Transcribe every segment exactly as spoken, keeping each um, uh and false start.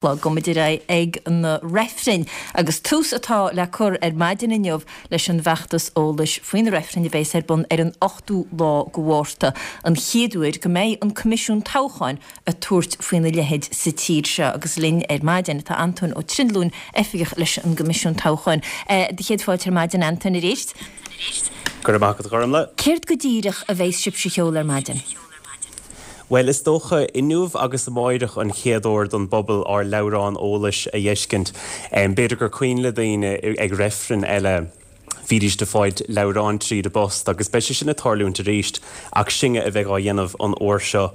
Gabhfaimid ar aghaidh ag na reifrinn agus tús atá le cur ar maidin inniu leis an bhfeachtas eolais faoi na reifrinn a bheas ar bun ar an ochtú lá de Mhárta, an chéad uair go mbeidh an Coimisiún Toghcháin ag tabhairt faoina leithéid sa tír seo agus linn ar maidin tá Antóin Ó Trinlúin oifigeach leis an gCoimisiún Toghcháin. Do chéad fáilte ar maidin Antóin arís. Go raibh maith agat Gormlaith. Céard go díreach a bheas sibhse a sheoladh ar maidin? Bhuel, is dócha inniu agus amáireach an chéad uair don bpobal ár leabhrán eolais a fheiscint. B'fhéidir gur cuimhin le daoine ag reifrinn eile bhídís ag fáilt leabhráin tríd an bpost agus beidh sé sin ag tarlúint arís ach sinne a bheidh á dhéanamh an uair seo.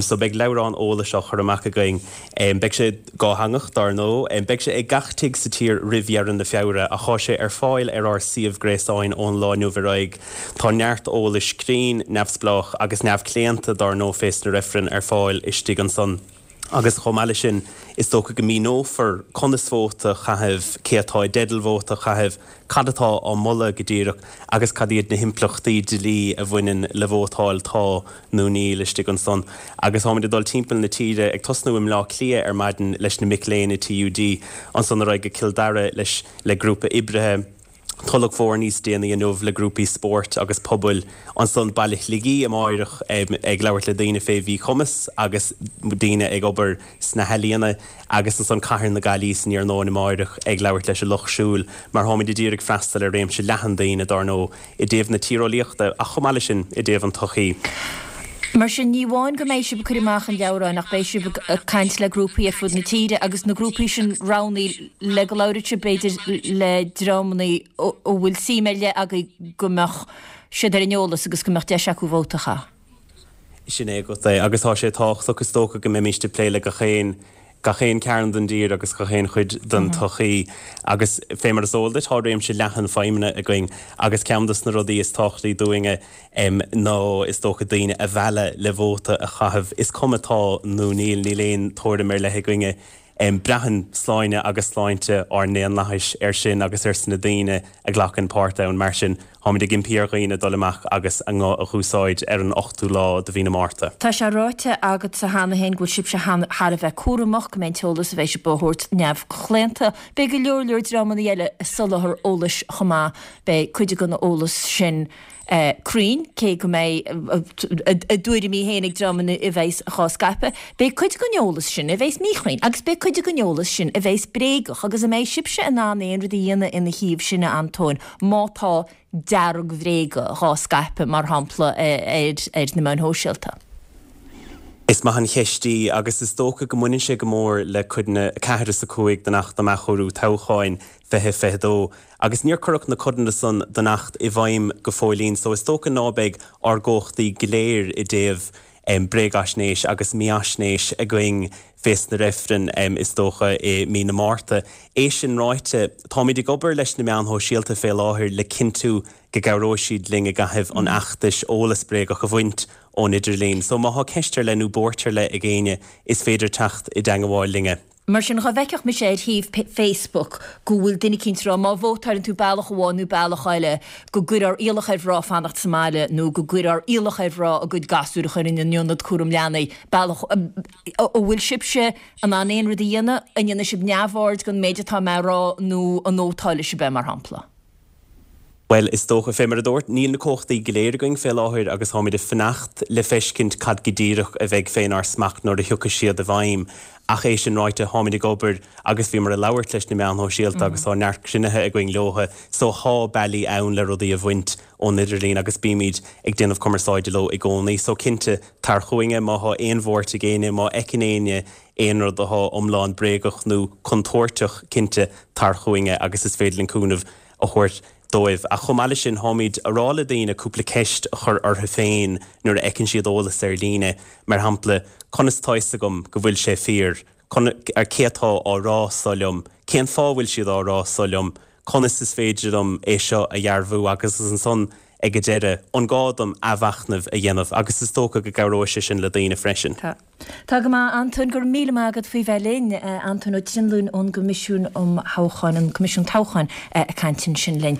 So beidh leabhrán eolais á chur amach againn. Beidh sé dátheangach dar ndóigh. Beidh sé ag gach tigh sa tír roimh dheireadh na Feabhra ach tá sé ar fáil ar ár suíomh gréasáin ón lá inniu ar aghaidh. Tá neart eolais cruinn, neamhspleách agus neamhchlaonta dar ndóigh fés na reifrinn ar fáil istigh ansan. Agus chomh maith leis sin, is dócha go míneofar conas vóta a chaitheamh, cé atá i dteideal vóta a chaitheamh, cad atá á moladh go díreach agus cad iad na himpleachtaí dlí a bhaineann le vótáil tá nó níl istigh ansan. Agus táimid ag dul timpeall na tíre, ag tosnú i mBleá Cliath ar maidin leis na mic léinn i TUD, ansan ar aghaidh go Cill Dara leis le grúpa oibrithe, Tulach Mhór níos déanaí inniu le grúpaí spóirt agus pobail, ansan Baile Shligigh amáireach ag labhairt le daoine fé mhíchumas agus daoine ag obair sna healaíona agus ansan Cathair na Gaillimhe san iarnóin amáireach ag labhairt leis an lucht siúil mar táimid ag iarraidh freastal ar réimse leathan daoine dár ndóigh i dtaobh na tíreolaíochta ach chomh maith leis sin i dtaobh an tsochaí. Mar sin, ní amháin go mbeidh sibh ag cur amach an leabhráin ach beidh sibh ag caint le grúpaí ar fud na tíre agus na grúpaí sin roghnaithe le go labhróidh sibh b'fhéidir le dreamanna a bhfuil suim ar leith agaibh go mbeadh siad ar an eolas agus go mbeadh deis acu vóta a chaitheamh. Sin é agat é agus tá sé tábhachtach is dócha go mbeimíst ag plé le gach aon gach aon cearn den dtír agus gach aon chuid den tsochaí agus fé mar is eol duit tá réimse leathan feidhmeanna againn agus ceann des na rudaí is tábhachtaí dúinne ná is dócha daoine a mhealladh le vóta a chaitheamh. Is cuma tá nó níl, níl aon tuairim ar leith againne. Braitheann sláine agus sláinte ár ndaonlathais air sin agus ar sna daoine a ghlacann páirt ann. Mar sin, táimid ag impí ar dhaoine dul amach agus a nguth a dh'úsáid ar an ochtú lá de mhí na Márta. Tá sé ráite agatsa cheana féin go bhfuil sibhse thar a bheith cúramach, go mbeidh an t-eolas a bheidh sibh a thabhairt neamhchlaonta. Beidh go leor leor dreamanna eile ag soláthar eolais chomh maith. Beidh cuid den eolas sin cruinn, cé go mbeidh a dtuairimí féin ag dreamanna a bheas dhá scaipeadh. Beidh cuid den eolas sin a bheas míchruinn agus beidh cuid den eolas sin a bheas bréagach agus an mbeidh sibhse in ann aon rud a dhéanamh ina thaobh sin, a Antóin, má tá dearg-bhréaga dhá scaipeadh, mar shampla, ar na meáin shóisialta? Is maith an cheist í agus is dócha go mbaineann sé go mór le codanna a ceathair is a cúig den Acht um Athchóiriú Toghcháin fiche fiche dó agus níor cuireadh na codanna san den Acht i bhfeidhm go fóillín so is dócha ná beidh ár gcumhachtaí go léir i dtaobh bréagaisnéis agus mífhaisnéis againn fés na reifrinn is dócha i mí na Márta. É sin ráite, táimid ag obair leis na meáin shóisialta fé láthair le cinntiú go gcabhróidh siad linn i gcaitheamh an fheachtais eolas bréagach a bhaint ón idirlíon. So má thá ceist ar leith nó buairt ar leith ag éinne is féidir teacht i dteangabháil linne. Mar sin, dhá bhfeicfeadh mise ar shuíomh Facebook go bhfuil duine eicínt ag rá má vótáileann tú bealach amháin nó bealach eile go gcuirfear iallach ar mhná fanacht sa mbaile nó go gcuirfear iallach ar mhná a gcuid gasúr a chur in ionad cúram leanaí, bealach an bhfuil sibhse in ann aon rud a dhéanamh, an ndéanfaidh sibh neamhaird den méid atá mé a rá nó an nótálfaidh sibh é, mar shampla? Bhuel, is dócha, fé mar a dúirt, níl na cumhachtaí go léir againn fé láthair agus táimid ag fanacht le feiscint cad go díreach a bheidh fénár smacht nuair a thiocfaidh siad i bhfeidhm. Ach é sin ráite, táimid ag obair agus bhíomar ag labhairt leis na meáin shóisialta agus tá neart cruinnithe againn leotha so thá bealaí ann le rudaí a bhaint ón idirlíon agus bímid ag déanamh cumarsáide leo i gcónaí. So cinnte, tar chugainne má thá aon bhuairt ag éinne, má fheiceann éinne aon rud athá iomlán bréagach nó contúirteach, cinnte, tar chugainne agus is féidir linn cúnamh a thabhairt dóibh. Ach chomh maith leis sin, táimid a rá le daoine cúpla ceist a chur orthu féin nuair a fheiceann siad eolas ar líne, mar shampla, conas tá fhios agam go bhfuil sé fíor? Cé atá á rá seo liom? Cén fáth a bhfuil siad á rá seo liom? Conas is féidir liom é seo a dhearbhú? Agus ansan ag an deireadh, an gá dom athmhachnamh a dhéanamh? Agus is dócha go gcabhróidh sé sin le daoine freisin. Tá. Tá go maith, Antóin, go raibh míle maith agat faoi bheith linn. Antóin Ó Trinlúin ón gCoimisiún um Thoghcháin, an Coimisiún Toghcháin, ag caint ansin linn.